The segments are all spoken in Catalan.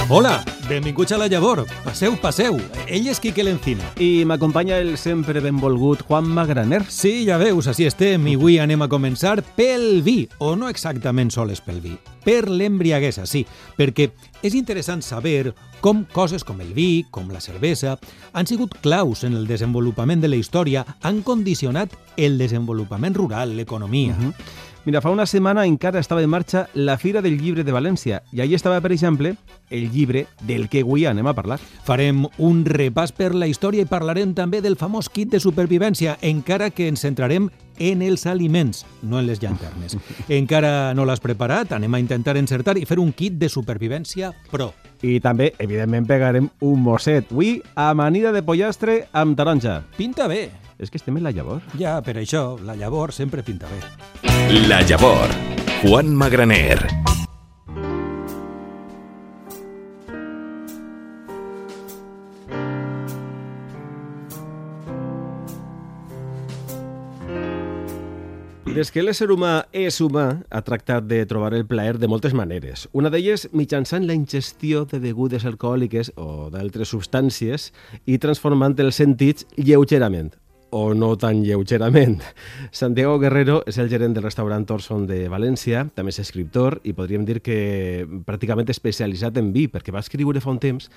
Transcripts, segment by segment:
Hola, benvinguts a La Llavor. Passeu, passeu. Ell és Quique Lencina. I m'acompanya el sempre benvolgut Juan Magraner. Sí, ja veus, així estem. I avui anem a començar pel vi, o no exactament sols pel vi, per l'embriaguesa, sí, perquè és interessant saber com coses com el vi, com la cervesa, han sigut claus en el desenvolupament de la història, han condicionat el desenvolupament rural, l'economia. Mira, fa una setmana encara estava en marxa la Fira del Llibre de València i allí estava, per exemple, el llibre del que avui anem a parlar. Farem un repàs per la història i parlarem també del famós kit de supervivència, encara que ens centrarem en els aliments, no en les llanternes. Encara no l'has preparat? Anem a intentar encertar i fer un kit de supervivència pro. I també, evidentment, pegarem un mosset. Avui, amanida de pollastre amb taronja. Pinta bé. És que estem en La Llavor. Ja, per això, La Llavor sempre pinta bé. La Llavor, Juan Magraner. Des que l'ésser humà és humà, ha tractat de trobar el plaer de moltes maneres. Una d'elles mitjançant la ingestió de begudes alcohòliques o d'altres substàncies i transformant els sentits lleugerament, o no tan lleugerament. Santiago Guerrero és el gerent del restaurant Torson de València, també és escriptor i podríem dir que pràcticament especialitzat en vi, perquè va escriure fa un temps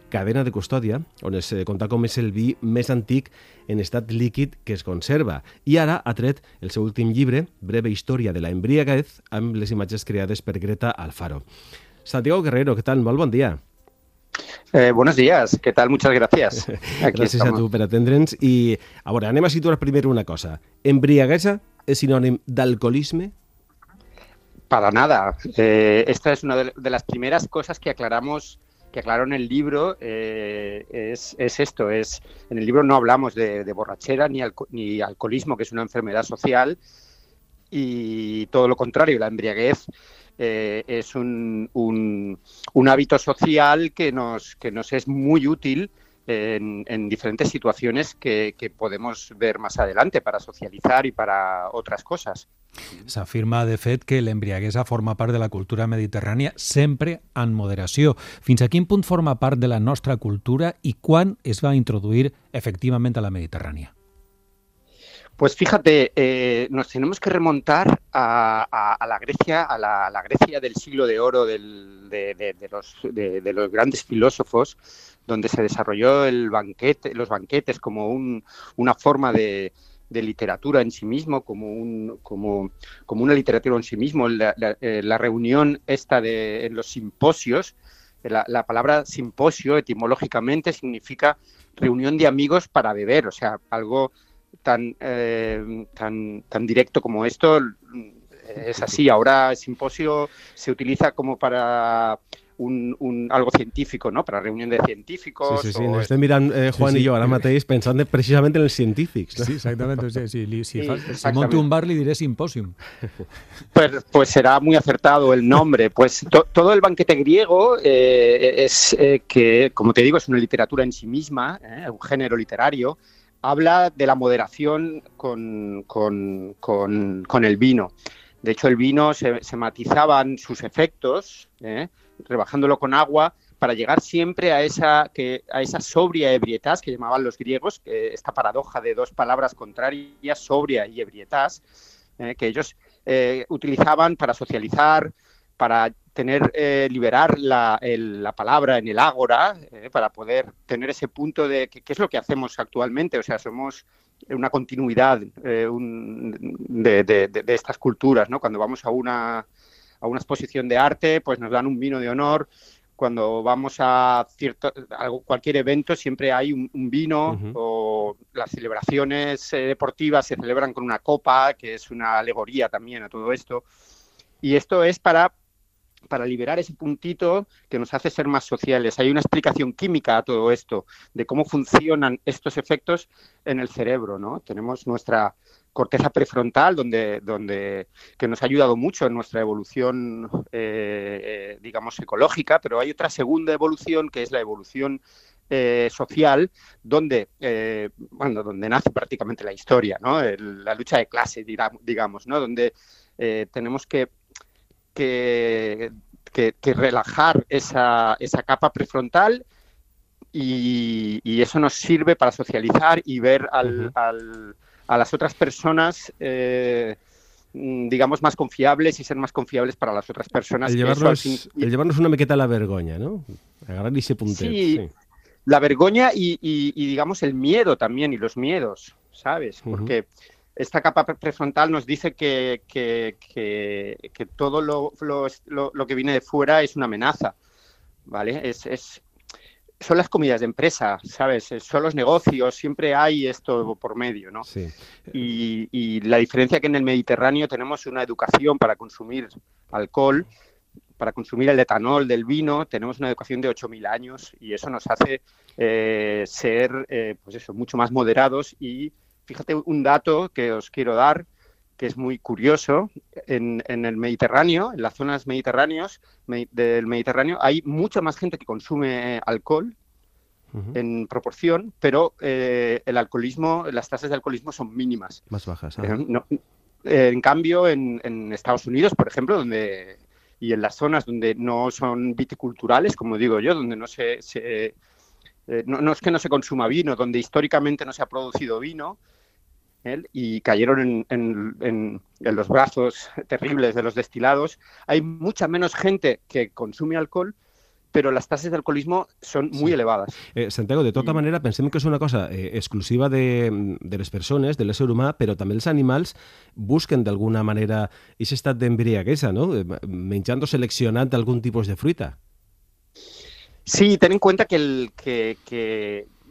Cadena de custòdia, on es conta com és el vi més antic en estat líquid que es conserva. I ara ha tret el seu últim llibre, Breve història de la embriaguez, amb les imatges creades per Greta Alfaro. Santiago Guerrero, ¿qué tal? Molt bon dia. Buenos días, ¿qué tal? Muchas gracias. Gràcies a tu per atendre'ns. I, a veure, anem a situar primer una cosa. ¿Embriaguesa és sinònim d'alcoholisme? Para nada. Esta es una de las primeras cosas que aclaro en el libro, es esto. En el libro no hablamos de borrachera ni alcoholismo, que es una enfermedad social, y todo lo contrario, la embriaguez es un hábito social que nos es muy útil en diferentes situaciones que podemos ver más adelante para socializar y para otras cosas. S'afirma, de fet, que l'embriaguesa forma part de la cultura mediterrània sempre en moderació. Fins a quin punt forma part de la nostra cultura i quan es va introduir efectivament a la Mediterrània? Pues fíjate, nos tenemos que remontar a la Grecia, a la Grecia del siglo de oro de los grandes filósofos, donde se desarrolló los banquetes como una forma de literatura en sí mismo, como una literatura en sí mismo. La reunión esta en los simposios, la palabra simposio etimológicamente significa reunión de amigos para beber, o sea, algo tan directo como esto es así. Ahora simposio se utiliza como para algo científico, ¿no? Para reunión de científicos. Sí. Ens estem mirant, Juan i jo, ara mateix, pensant precisament en els científics. ¿No? Sí, exactament. Si monto un bar, li diré simposium. Pues será muy acertado el nombre. Pues todo el banquete griego es que, como te digo, es una literatura en sí misma, un género literario. Habla de la moderación con el vino. De hecho, el vino se matizaban sus efectos, rebajándolo con agua, para llegar siempre a esa sobria ebrietas que llamaban los griegos, esta paradoja de dos palabras contrarias, sobria y ebrietas, que ellos utilizaban para socializar, para liberar la palabra en el ágora, para poder tener ese punto de que es lo que hacemos actualmente. O sea, somos una continuidad de estas culturas, ¿no? Cuando vamos a una exposición de arte, pues nos dan un vino de honor. Cuando vamos a cualquier evento siempre hay un vino, o las celebraciones deportivas se celebran con una copa, que es una alegoría también a todo esto. Y esto es para liberar ese puntito que nos hace ser más sociales. Hay una explicación química a todo esto, de cómo funcionan estos efectos en el cerebro, ¿no? Tenemos nuestra corteza prefrontal, que nos ha ayudado mucho en nuestra evolución, digamos, ecológica, pero hay otra segunda evolución, que es la evolución social, donde nace prácticamente la historia, ¿no? La lucha de clase, digamos, ¿no? Donde tenemos que que relajar esa capa prefrontal y eso nos sirve para socializar y ver a las otras personas, digamos, más confiables y ser más confiables para las otras personas. El llevarnos una miqueta a la vergonya, ¿no? Agarrar ese puntet. Sí, la vergüenza y digamos, el miedo también, y los miedos, ¿sabes? Porque esta capa prefrontal nos dice que todo lo que viene de fuera es una amenaza, ¿vale? Son las comidas de empresa, ¿sabes? Son los negocios, siempre hay esto por medio, ¿no? Sí. Y la diferencia que en el Mediterráneo tenemos una educación para consumir alcohol, para consumir el etanol del vino, tenemos una educación de 8.000 años y eso nos hace ser, pues eso, mucho más moderados. Y fíjate un dato que os quiero dar, que es muy curioso. En el Mediterráneo, en las zonas mediterráneas del Mediterráneo, hay mucha más gente que consume alcohol en proporción, pero el alcoholismo, las tasas de alcoholismo son mínimas. Más bajas. En cambio, en Estados Unidos, por ejemplo, y en las zonas donde no son viticulturales, como digo yo, donde no no es que no se consuma vino, donde históricamente no se ha producido vino, y cayeron en los brazos terribles de los destilados, hay mucha menos gente que consume alcohol, però les tasses d'alcoholisme són molt elevades. Santiago, de tota manera, pensem que és una cosa exclusiva de les persones, de l'ésser humà, però també els animals busquen d'alguna manera aquest estat d'embriaguesa, ¿no? Menjant o seleccionant algun tipus de fruita. Sí, ten en cuenta que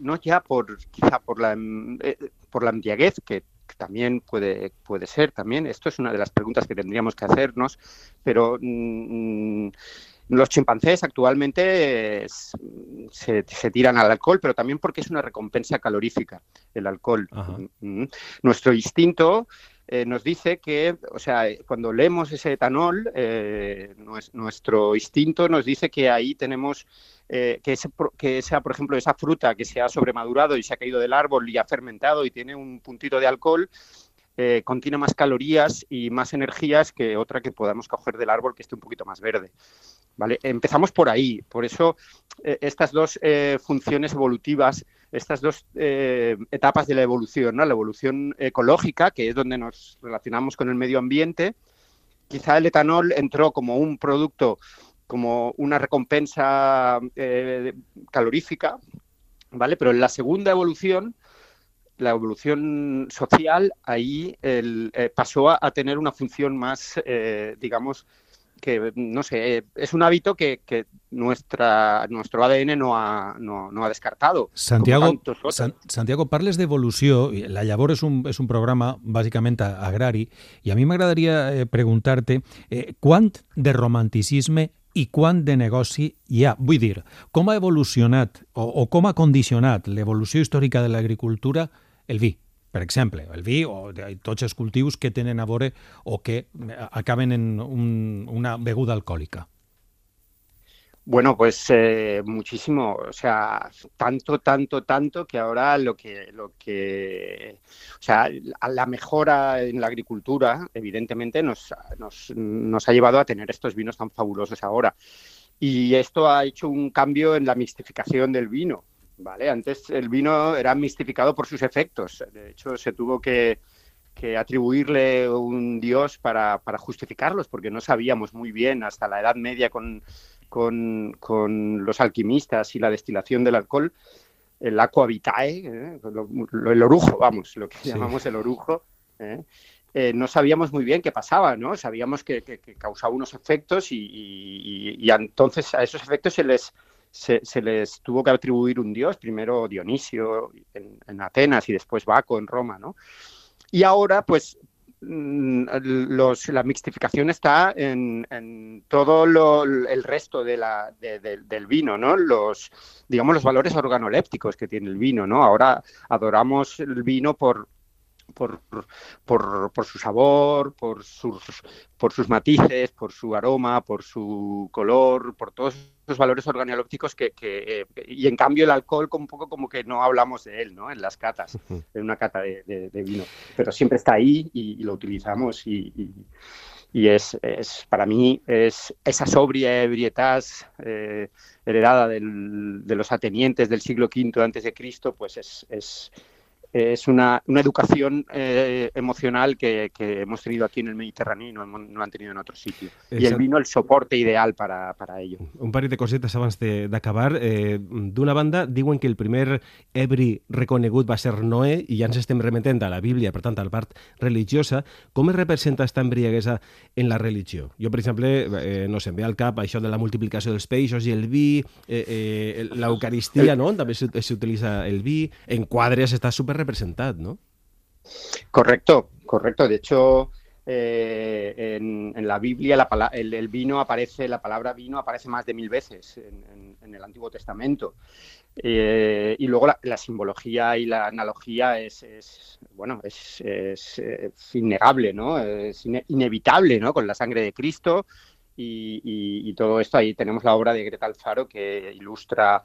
no ya quizá por la embriaguez, que también puede ser también, esto es una de las preguntas que tendríamos que hacernos, pero los chimpancés actualmente se tiran al alcohol, pero también porque es una recompensa calorífica el alcohol. Nuestro instinto nos dice que, o sea, cuando leemos ese etanol, nuestro instinto nos dice que ahí tenemos que esa, por ejemplo, esa fruta que se ha sobremadurado y se ha caído del árbol y ha fermentado y tiene un puntito de alcohol, contiene más calorías y más energías que otra que podamos coger del árbol que esté un poquito más verde. ¿Vale? Empezamos por ahí. Por eso estas dos funciones evolutivas, estas dos etapas de la evolución, ¿no? La evolución ecológica, que es donde nos relacionamos con el medio ambiente. Quizá el etanol entró como un producto, como una recompensa calorífica, ¿vale? Pero en la segunda evolución, la evolución social, ahí pasó a tener una función más, digamos, que, no sé, es un hábito que nuestro ADN no ha descartado. Santiago, parles d'evolució. La Llavor és un programa bàsicament agrari i a mi m'agradaria preguntar-te quant de romanticisme i quant de negoci hi ha. Vull dir, com ha evolucionat o com ha condicionat l'evolució històrica de l'agricultura el vi? Per exemple, el vi o tots els cultius que tenen a veure o que acaben en una beguda alcohòlica. Bueno, pues muchísimo, o sea, tanto que ahora o sea, la mejora en la agricultura, evidentemente, nos ha llevado a tener estos vinos tan fabulosos ahora. Y esto ha hecho un cambio en la mistificación del vino. Vale, antes el vino era mistificado por sus efectos. De hecho, se tuvo que atribuirle un dios para justificarlos, porque no sabíamos muy bien hasta la Edad Media con los alquimistas y la destilación del alcohol, el aqua vitae, el orujo, vamos, lo que llamamos el orujo. No sabíamos muy bien qué pasaba, ¿no? Sabíamos que causaba unos efectos y entonces a esos efectos se les tuvo que atribuir un dios, primero Dionisio en Atenas y después Baco en Roma, ¿no? Y ahora, pues, la mixtificación está en todo el resto del vino, ¿no? Digamos, los valores organolépticos que tiene el vino, ¿no? Ahora adoramos el vino por su sabor, por sus matices, por su aroma, por su color, por todos esos valores organolépticos y en cambio el alcohol un poco como que no hablamos de él, ¿no? En las catas, en una cata de vino, pero siempre está ahí y lo utilizamos y es para mí es esa sobria ebrietad heredada de los atenienses del siglo V antes de Cristo, pues es una educación emocional que hemos tenido aquí en el Mediterráneo y no han tenido en otro sitio. I el vino el soporte ideal para ello. Un parell de cosetes abans d'acabar. D'una banda, diuen que el primer ebri reconegut va ser Noé, i ja ens estem remetent a la Bíblia, per tant, a la part religiosa. Com es representa aquesta embriaguesa en la religió? Jo, per exemple, no sé, em ve al cap això de la multiplicació dels peixos i el vi, l'Eucaristia, no? També s'utilitza el vi. En quadres està super representado, ¿no? Correcto. De hecho, en la Biblia el vino aparece, la palabra vino aparece más de 1000 veces en el Antiguo Testamento. Y luego la simbología y la analogía es innegable, ¿no? Es inevitable, ¿no? Con la sangre de Cristo. Y todo esto, ahí tenemos la obra de Greta Alfaro que ilustra,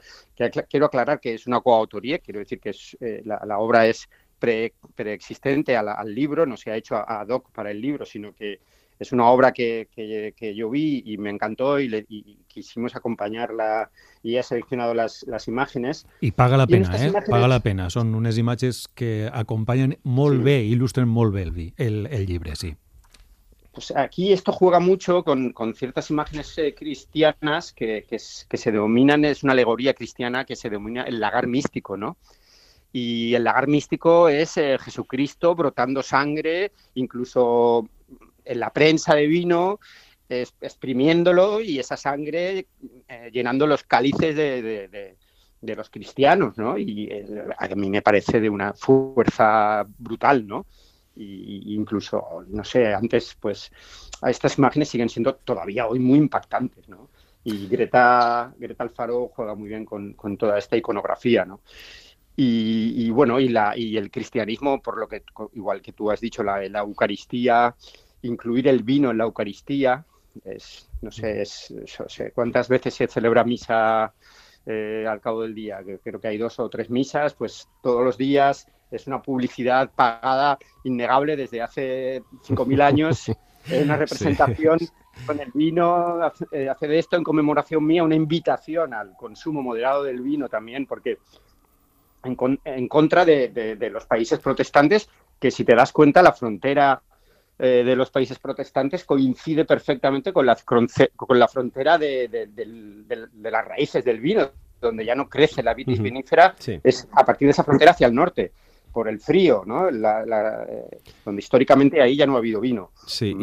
quiero aclarar que es una coautoría, quiero decir que la obra es preexistente al libro, no se ha hecho ad hoc para el libro, sino que es una obra que yo vi y me encantó y quisimos acompañarla y he seleccionado las imágenes. I paga la pena, imágenes... paga la pena. Són unes imatges que acompanyen molt bé, il·lustren molt bé el llibre, sí. Pues aquí esto juega mucho con ciertas imágenes cristianas que se denominan, es una alegoría cristiana que se denomina el lagar místico, ¿no? Y el lagar místico es Jesucristo brotando sangre, incluso en la prensa de vino, exprimiéndolo y esa sangre llenando los cálices de los cristianos, ¿no? Y a mí me parece de una fuerza brutal, ¿no? Y incluso, no sé, antes, pues, estas imágenes siguen siendo todavía hoy muy impactantes, ¿no? Y Greta Alfaro juega muy bien con toda esta iconografía, ¿no? Y bueno, y el cristianismo, por lo que, igual que tú has dicho, la Eucaristía, incluir el vino en la Eucaristía, no sé cuántas veces se celebra misa al cabo del día, creo que hay 2 o 3 misas, pues todos los días. Es una publicidad pagada innegable desde hace 5.000 años, una representación sí. Con el vino, hace de esto en conmemoración mía una invitación al consumo moderado del vino también, porque en contra de los países protestantes, que si te das cuenta la frontera de los países protestantes coincide perfectamente con la frontera de las raíces del vino, donde ya no crece la vitis vinífera, sí. Es a partir de esa frontera hacia el norte. Por el frío, no? Donde històricament ahí ja no ha habido vino. Sí,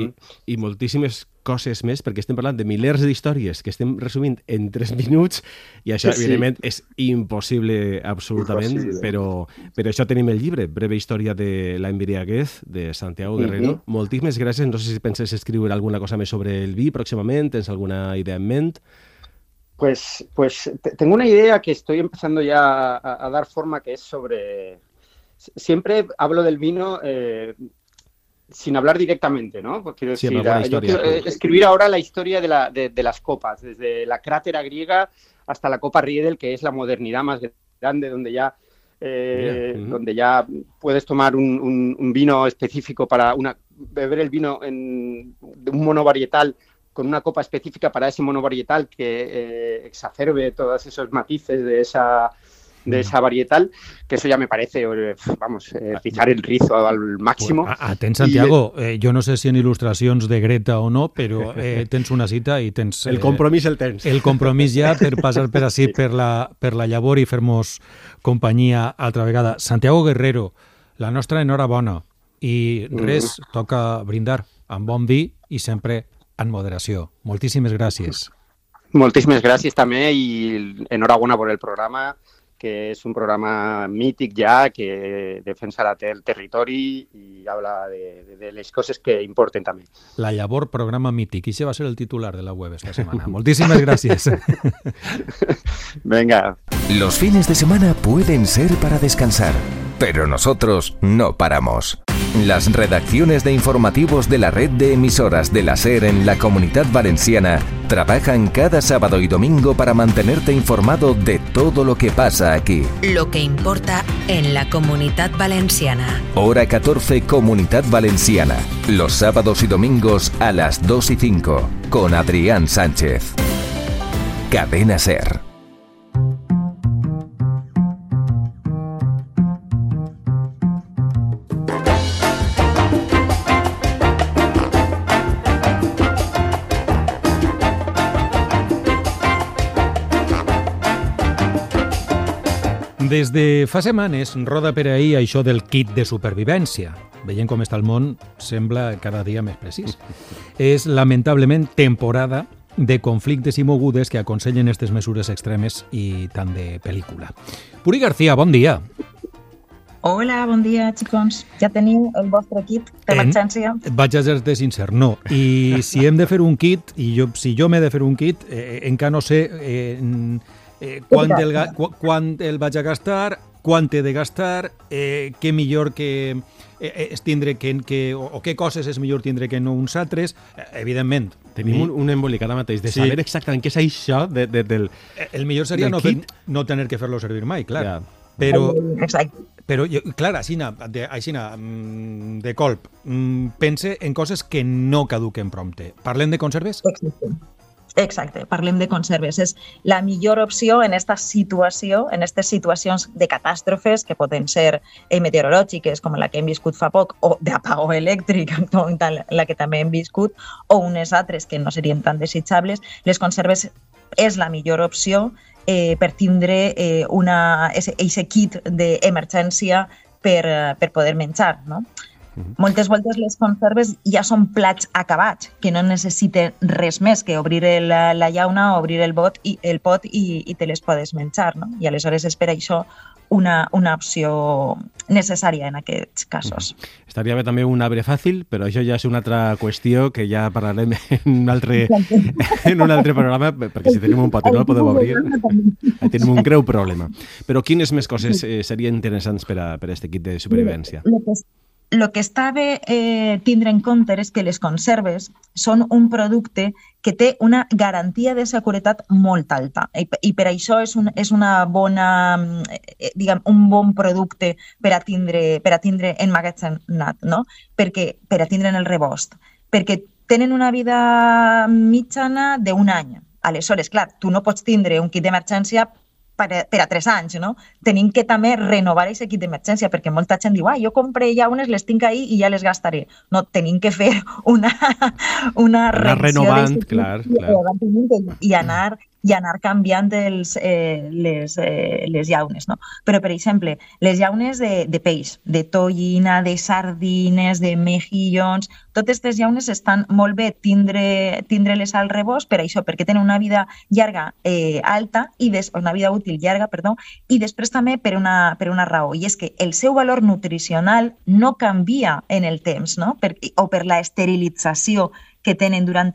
i moltíssimes coses més, perquè estem parlant de milers d'històries que estem resumint en 3 minuts i això, sí. Evidentment, és impossible absolutament, però això tenim el llibre, Breve història de la embriaguez, de Santiago Guerrero. Moltíssimes gràcies. No sé si penses escriure alguna cosa més sobre el vi pròximament, tens alguna idea en ment? Pues tengo una idea que estoy empezando ya a dar forma, que es sobre... Siempre hablo del vino sin hablar directamente, ¿no? Quiero decir, yo quiero escribir ahora la historia de las copas, desde la crátera griega hasta la copa Riedel, que es la modernidad más grande, donde ya puedes tomar un vino específico para beber el vino de un monovarietal con una copa específica para ese monovarietal que exacerbe todos esos matices de esa varietal, que eso ya me parece, pisar el rizo al máximo. Atents, Santiago, jo no sé si en il·lustracions de Greta o no, però tens una cita i tens... El compromís el tens. El compromís ja per passar per ací, per la llavor i fer-nos companyia altra vegada. Santiago Guerrero, la nostra enhorabona. I res, toca brindar amb bon vi i sempre en moderació. Moltíssimes gràcies. Moltíssimes gràcies també i enhorabona per el programa, que es un programa mític ya, que defensa el territori y habla de las cosas que importen también. La llavor, programa mític. I ese va a ser el titular de la web esta semana. Moltísimas gracias. Venga. Los fines de semana pueden ser para descansar, pero nosotros no paramos. Las redacciones de informativos de la red de emisoras de la SER en la Comunitat Valenciana Trabajan cada sábado y domingo para mantenerte informado de todo lo que pasa aquí. Lo que importa en la Comunitat Valenciana. Hora 14, Comunidad Valenciana. Los sábados y domingos a las 2:05 con Adrián Sánchez. Cadena SER. Des de fa setmanes roda per ahir això del kit de supervivència. Veient com està el món, sembla cada dia més precís. És, lamentablement, temporada de conflictes i mogudes que aconsellen aquestes mesures extremes i tant de pel·lícula. Puri García, bon dia. Hola, bon dia, xicons. Ja teniu el vostre kit d'emergència? Vaig a ser sincer, no. I si hem de fer un kit, si jo m'he de fer un kit, encara no sé quant el vaig a gastar, quant he de gastar, què millor que és tindre o què coses és millor tindre que no uns altres. Evidentment. Tenim un embolic ara mateix de saber exactament què és això del el millor seria no tenir que fer-lo servir mai, clar. Ja. Però clar, aixina, de colp, pense en coses que no caduquen prompte. Parlem de conserves? Exacte, parlem de conserves. És la millor opció en esta situació, en aquestes situacions de catàstrofes que poden ser meteorològiques, com la que hem viscut fa poc, o d'apagó elèctric, com la que també hem viscut, o unes altres que no serien tan desitjables. Les conserves és la millor opció per tindre aquest kit d'emergència per poder menjar, no? Moltes voltes les conserves ja són plats acabats, que no necessiten res més que obrir la llauna, obrir el pot i te les podes menjar, no? I aleshores és per això una opció necessària en aquests casos. Estaria bé també un arbre fàcil, però això ja és una altra qüestió que ja parlarem en un altre programa, perquè si tenim un pot i no el podeu obrir, tenim un greu problema. Però quines més coses serien interessants per a aquest kit de supervivència? El que està bé tindre en compte és que les conserves són un producte que té una garantia de seguretat molt alta i per això és una bona, un bon producte per a tindre emmagatzemat, no? Perquè per a tindre en el rebost, perquè tenen una vida mitjana d'un any. Aleshores, clar, tu no pots tindre un kit d'emergència per a 3 anys, no? Tenim que també renovar aquest kit d'emergència, perquè molta gent diu, jo compré llaunes, les tinc ahí i ja les gastaré. No, tenim que fer una renovant, clar. I anar canviant les llaunes, no? Però, per exemple, les llaunes de peix, de tonyina, de sardines, de mejillons, totes aquestes llaunes estan molt bé tindre-les al rebost per això, perquè tenen una vida llarga alta, una vida útil llarga, i després també per una raó, i és que el seu valor nutricional no canvia en el temps, no? O per la esterilització que tenen durant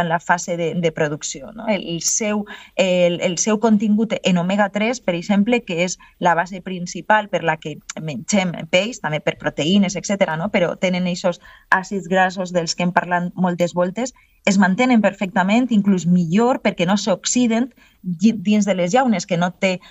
la fase de producció, no? El seu contingut en omega-3, per exemple, que és la base principal per la que mengem peix, també per proteïnes, etc., no? Però tenen aquests àcids grassos dels que hem parlat moltes voltes, es mantenen perfectament, inclús millor, perquè no s'oxiden dins de les llaunes, que no té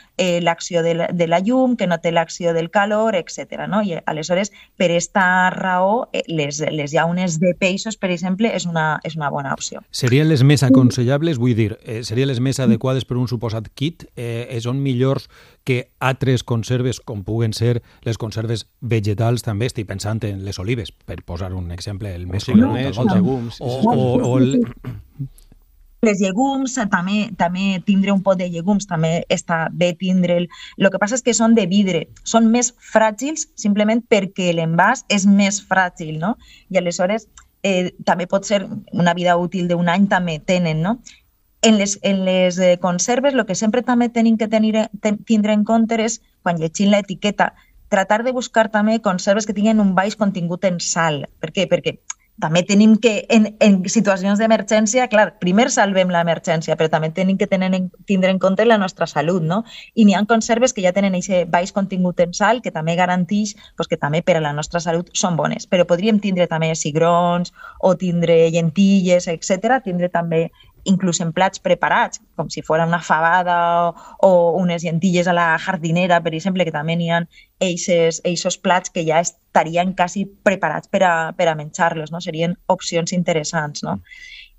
l'acció de la llum, que no té l'acció del calor, etc. No? I aleshores, per aquesta raó, les llaunes de peixos, per exemple, és una bona opció. Serien les més aconsellables, vull dir, serien les més adequades per un suposat kit? Són millors que altres conserves, com puguen ser les conserves vegetals, també estic pensant en les olives, per posar un exemple, el més conegut, els llegums, les llegums, també tindre un pot de llegums, també està bé tindre'l. El que passa és que són de vidre, són més fràgils simplement perquè l'envàs és més fràgil, no? I aleshores també pot ser una vida útil d'un any, també tenen, no? En les conserves, el que sempre també tenim que tindre en compte és, quan llegim l'etiqueta, tratar de buscar també conserves que tinguin un baix contingut en sal. Per què? Perquè també tenim que, en situacions d'emergència, clar, primer salvem l'emergència, però també tenim que tindre en compte la nostra salut, no? I n'hi ha conserves que ja tenen aquest baix contingut en sal, que també garanteix que també per a la nostra salut són bones. Però podríem tindre també cigrons o tindre llentilles, etc., tindre també inclús en plats preparats, com si fos una fabada o unes llentilles a la jardinera, per exemple, que també n'hi ha eixos plats que ja estarien quasi preparats per a menjar-los, no? Serien opcions interessants, no?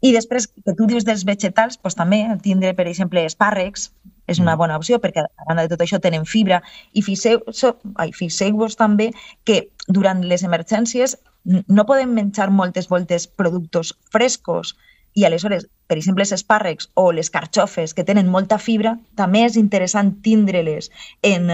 I després, que tu dius dels vegetals, doncs també tindre, per exemple, espàrrecs és una bona opció, perquè a banda de tot això tenen fibra. I fixeu-vos també que durant les emergències no podem menjar moltes voltes productes frescos i aleshores, per exemple, els espàrrecs o les carxofes que tenen molta fibra, també és interessant tindre-les en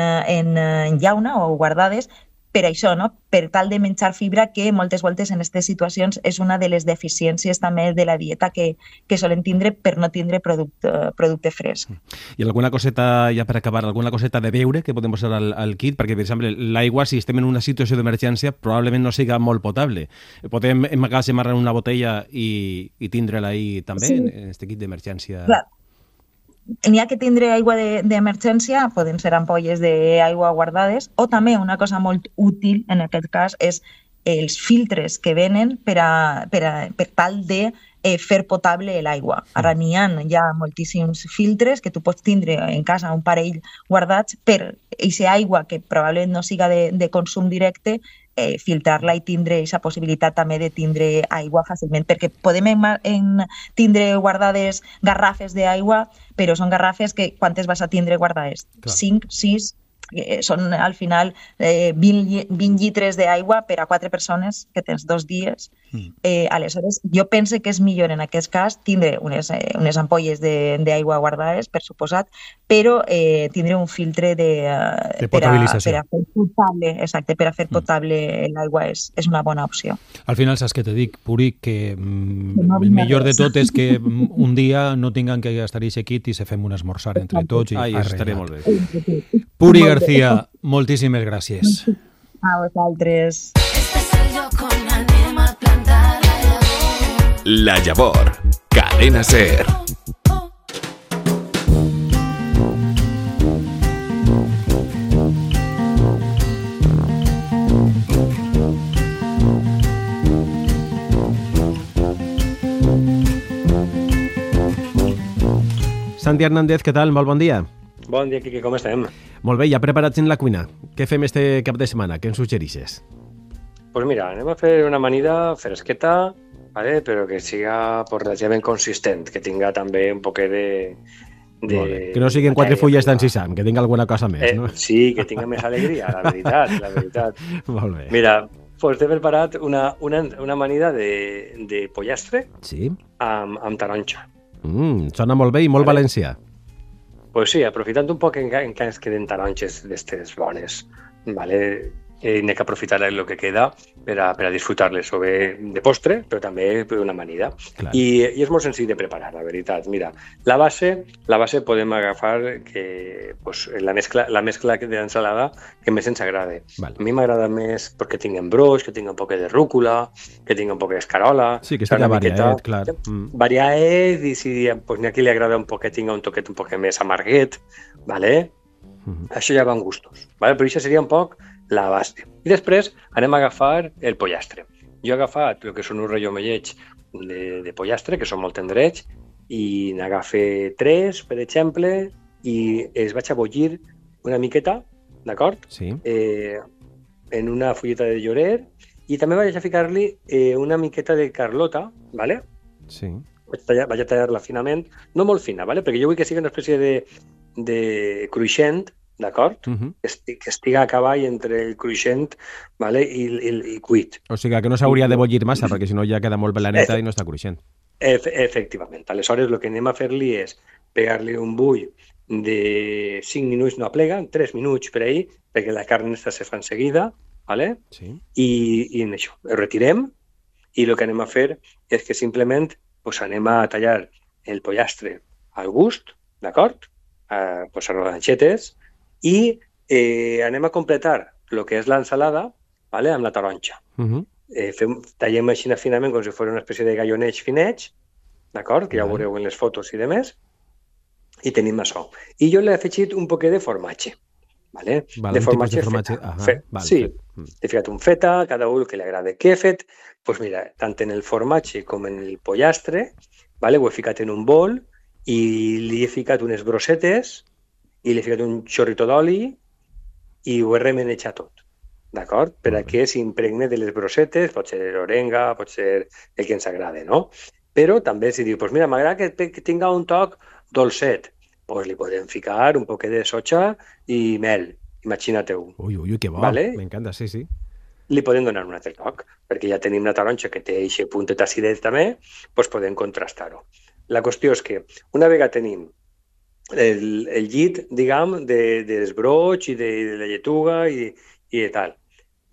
llauna o guardades per això, no? Per tal de menjar fibra, que moltes voltes en aquestes situacions és una de les deficiències també de la dieta que solen tindre per no tindre producte fresc. I alguna coseta, ja per acabar, alguna coseta de beure que podem posar al kit? Perquè, per exemple, l'aigua, si estem en una situació d'emergència, probablement no siga molt potable. Podem emmagatzemar en una botella i tindre-la ahí també, sí, en aquest kit d'emergència? Clar. N'hi ha que tindre aigua d'emergència, poden ser ampolles d'aigua guardades, o també una cosa molt útil en aquest cas és els filtres que venen per tal de fer potable l'aigua. Ara n'hi ha ja moltíssims filtres que tu pots tindre en casa, un parell guardats, per aquesta aigua que probablement no siga de consum directe, filtrar-la i tindre aquesta possibilitat també de tindre aigua fàcilment, perquè podem tindre guardades garrafes d'aigua, però són garrafes que quantes vas a tindre guardades? 5, 6, són al final 20 llitres d'aigua per a 4 persones que tens 2 dies. Aleshores, jo pense que és millor en aquest cas tindre unes ampolles d'aigua guardades, per suposat, però tindre un filtre de potabilització. Per a fer potable, exacte, per a fer potable l'aigua és una bona opció. Al final, saps què te dic, Puri, que el millor de tot és que un dia no tinguem que gastar aquest kit i se fem un esmorzar entre tots. Ai, estaré molt bé. Puri García, moltíssimes gràcies. A vosaltres. La Llavor, Cadena SER. Santi Hernández, què tal? Molt bon dia. Bon dia, Quique, com estem? Molt bé, ja preparats en la cuina. Què fem este cap de setmana? Què ens suggerixes? Pues mira, anem a fer una amanida fresqueta, ¿vale? Però que siga relativament consistent, que tinga també un poquet de que no siguin 4 fulles d'encisam, que tinga alguna cosa més, no? Sí, que tinga més alegria, la veritat. Molt bé. Mira, pues t'he preparat una amanida de pollastre, sí, amb taronja. Sona molt bé i molt valencià. Pues sí, aprofitant un poc que ens queden taronges d'estes bones, ¿vale? N'he que aprofitar el que queda per a disfrutar-les, o bé de postre, però també per una amanida. I és molt senzill de preparar, la veritat. Mira, la base podem agafar la mescla d'ensalada que més ens agrada. Vale. A mi m'agrada més perquè tingui broix, que tingui un poc de rúcula, que tingui un poc d'escarola. Sí, que estigui variat, clar. Variat, i si n'hi ha qui li agrada un poc que tingui un toquet un poc més amarguet, ¿vale? Això ja va en gustos, ¿vale? Però això seria un poc la base. I després anem a agafar el pollastre. Jo he agafat el que són uns rellomellets de pollastre, que són molt tendrets, i n'agafe 3, per exemple, i els vaig a bullir una miqueta, d'acord? Sí. En una fulleta de llorer, i també vaig a ficar-li una miqueta de carlota, ¿vale? Sí. Vaig a tallar-la finament, no molt fina, ¿vale? Perquè jo vull que sigui una espècie de cruixent, d'acord? Que estiga a cavall entre el cruixent, ¿vale? i cuit. O sigui que no s'hauria de bullir massa, perquè si no ja queda molt belaneta i no està cruixent. Efectivament. Aleshores, el que anem a fer-li és pegar-li un bull de 5 minuts, no aplega, 3 minuts per ahir, perquè la carn se fa en seguida, ¿vale? Sí. I en això, ho retirem, i el que anem a fer és que simplement anem a tallar el pollastre al gust, d'acord? A rodanxetes, i anem a completar el que és l'ensalada, ¿vale? Amb la taronja. Tallem així finament com si fos una espècie de gallonets finets, d'acord? Que ja ho veureu en les fotos i demés, i tenim això. I jo l'he afegit un poquet de formatge, ¿vale? De formatge feta. Sí, he ficat un feta, cada un que li agrada. Què he fet? Doncs mira, tant en el formatge com en el pollastre, vale? Ho he ficat en un bol i li he ficat unes brossetes i li he ficat un xorrito d'oli i ho he remenejat tot, d'acord? Per a que s'impregne de les brossetes, pot ser orenga, pot ser el que ens agrada, no? Però també si diu, pues mira, m'agrada que tinga un toc dolcet, pues li podem ficar un poquet de soja i mel, imagina-te-ho. Ui, que bo, vale? M'encanta, sí. Li podem donar un altre toc, perquè ja tenim la taronja que té aquest puntet acidet també, doncs podem contrastar-ho. La qüestió és que una vegada tenim el llit, diguem, dels brots i de la lletuga i de tal,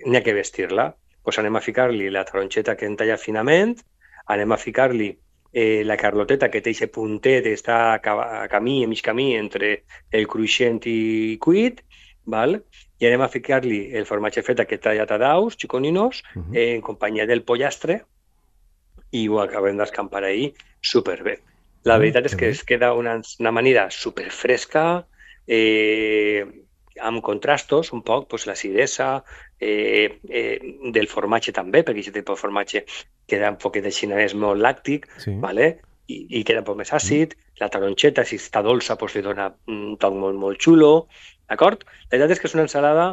n'hi ha que vestir-la. Doncs anem a ficar-li la taronxeta que hem tallat finament, anem a ficar-li la carloteta que té aquest puntet, està a mig camí entre el cruixent i cuit, val? I anem a ficar-li el formatge fet aquest tallat a daus, xiconinos, en companyia del pollastre, i ho acabem d'escampar ahir superbé. La veritat és que es queda una amanida superfresca, amb contrastos un poc, pues, l'acidesa del formatge també, perquè aquest tipus de formatge queda un poquet de xinès molt làctic, ¿vale? I queda un poc més àcid. La taronxeta, si està dolça, pues, li dona un toc molt, molt xulo, d'acord? La veritat és que és una ensalada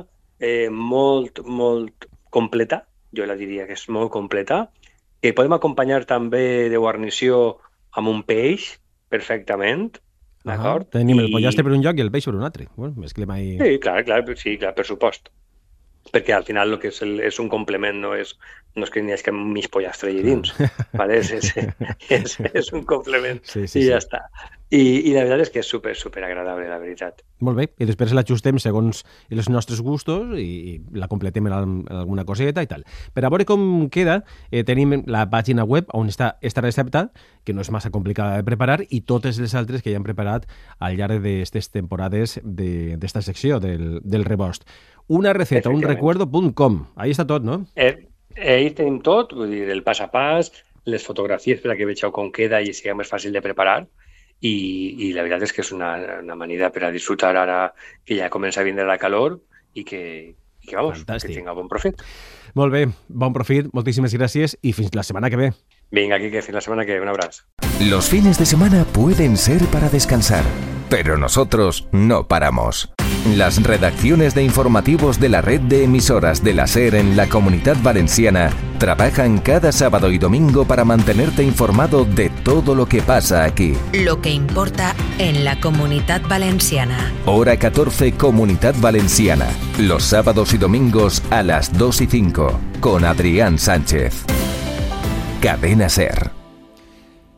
molt, molt completa, jo la diria que és molt completa, que podem acompanyar també de guarnició amb un peix, perfectament, d'acord? Tenim el pollastre per un lloc i el peix per un altre. Bueno, mesclem ahí... Sí, clar, per supost. Perquè al final el que és un complement, no és que n'hi hagi mig pollastre allà dins, ¿vale? És un complement i ja està. I la veritat és que és super agradable, la veritat. Molt bé, i després l'ajustem segons els nostres gustos i la completem amb alguna coseta i tal. Per a veure com queda, tenim la pàgina web on està esta recepta, que no és massa complicada de preparar, i totes les altres que ja hem preparat al llarg d'aquestes temporades d'esta secció del rebost. Una receta, unrecuerdo.com. Ahí està tot, no? Ahí tenim tot, vull dir, el pas a pas, les fotografies per a que vegeu com queda i sigui més fàcil de preparar. I la veritat és que és una manera per a disfrutar ara que ja comença a vindre la calor i que vamos, que tinga bon profit. Molt bé, bon profit, moltíssimes gràcies i fins la setmana que ve. Vinga, Quique, fins la semana que ve, un abrazo. Los fines de semana pueden ser para descansar, pero nosotros no paramos. Las redacciones de informativos de la red de emisoras de la SER en la Comunidad Valenciana trabajan cada sábado y domingo para mantenerte informado de todo lo que pasa aquí. Lo que importa en la Comunidad Valenciana. Hora 14, Comunidad Valenciana. Los sábados y domingos a las 2:05 con Adrián Sánchez. Cadena SER.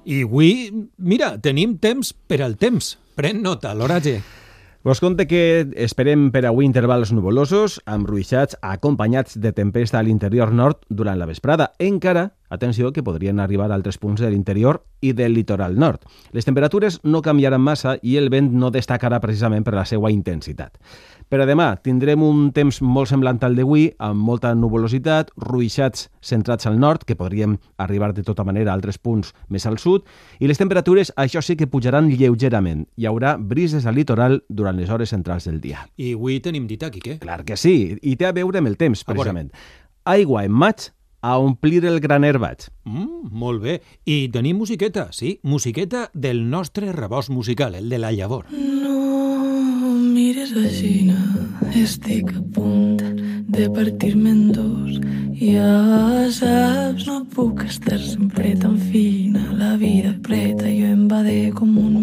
I avui, mira, tenim temps per al temps. Pren nota, l'oratge. Vos conte que esperem per avui intervals nuvolosos, amb ruixats acompanyats de tempesta a l'interior nord durant la vesprada. Encara, atenció, que podrien arribar a altres punts de l'interior i del litoral nord. Les temperatures no canviaran massa i el vent no destacarà precisament per la seva intensitat. Per a demà tindrem un temps molt semblant al d'avui, amb molta nuvolositat, ruixats centrats al nord, que podrien arribar de tota manera a altres punts més al sud, i les temperatures, això sí que pujaran lleugerament. Hi haurà brises al litoral durant les hores centrals del dia. I avui tenim dita, Quique? Clar que sí, i té a veure amb el temps, precisament. Aigua en maig a omplir el graner baix. Molt bé. I tenim musiqueta, sí, musiqueta del nostre rebost musical, el de la llavor. No mires així, estic a punt de partir-me en dos. Ja saps, no puc estar sempre tan fina, la vida preta, jo em va de com un